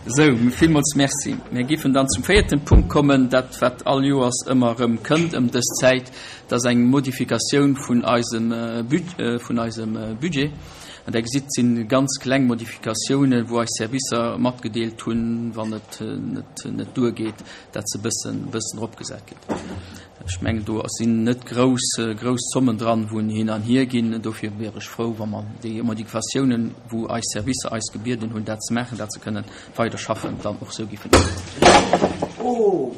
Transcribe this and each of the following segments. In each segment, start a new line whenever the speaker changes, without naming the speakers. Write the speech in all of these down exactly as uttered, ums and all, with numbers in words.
Sou, villmools Merci. Mir géifen dann zum véierten Punkt kommen, dat wat all Joers ëmmer erëm kënnt ëm dës Zäit, dat ass eng Modifikatioun vun eisem vun eisem Budget. An Der gesitt, et si ganz kleng Modifikatiounen, wou eis Servicer matgedeelt hunn, wann et net net duergeet, dat se e bëssen bëssen eropgesat ginn. Ech mengen, do sinn net grouss, grouss Zommen dran, wou hin an hier ginn. Dofir wier ech frou, wa mer déi Modifikatiounen, wou eis Servicer eis gebieden hunn, dat ze maachen, dat se kënnen weider schaffen, dann och esou géifen uhuelen.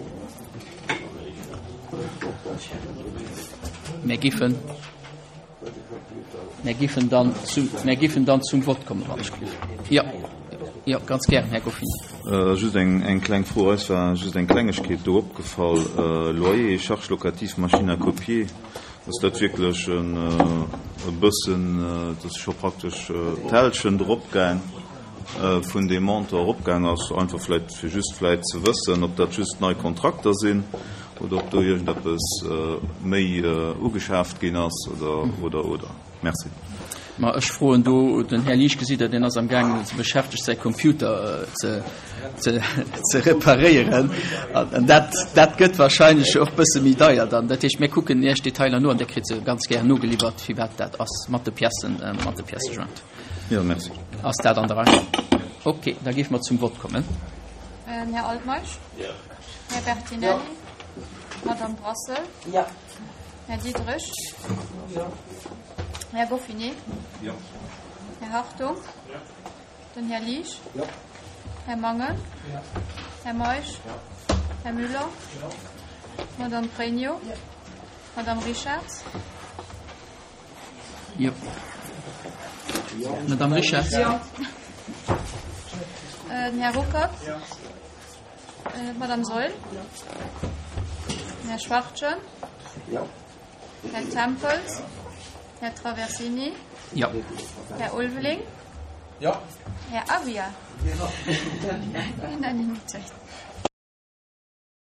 Mir géifen, mir géifen dann zu, mir géifen dann zum Vott kommen, wann ech géif. Jo. Jo, ganz gären, Här Goffin.
Just eng kleng Fro. Eis war just eng Klengegkeet do opgefall, Loyer, Charges locatives, machine à copier. Ass dat wierklech e bëssen, dat ass scho praktesch d'Hälschent eropgaang vun deem Montant eropgaang ass? Einfach vläicht, fir just vläicht ze wëssen, ob dat just nei Kontrakter sinn oder ob do iergendeppes méi ugeschaaft ginn ass oder, oder, oder. Merci.
Ma ech froen do den Här Liesch, gesitt Der, deen ass am gaangen, beschäftegt, säi Computer ze, ze, ze reparéieren. An dat, dat gëtt wahrscheinlech och bësse méi deier dann. Dat heescht, mir kucken Iech d'Detailer no an Dir kritt se ganz gär nogeliwwert, firwat dat ass, mat de Piècen, mat de Pièces jointes.
Jo, merci.
Ass dat an der Rei? Okay, da géife mer zum Vott kommen.
Här Altmeisch?
Jo.
Här Bertinelli? Jo. Madame Brassel?
Jo.
Här Diderich?
Jo.
Här Goffinet?
Jo.
Här Hartung?
Jo.
Den Här Liesch?
Jo.
Här Mangen?
Jo.
Här Meisch?
Jo.
Här Müller?
Jo.
Madame Pregno?
Jo.
Madame Richarz?
Jo. Madame Richarz?
Jo. Den Här Ruckert?
Jo.
D'Madame Saeul?
Jo.
Den Här Schwachtgen?
Jo.
Här Tempels? Här Traversini?
Jo.
Här Ulveling?
Jo.
Här Aguiar? Unanimitéit.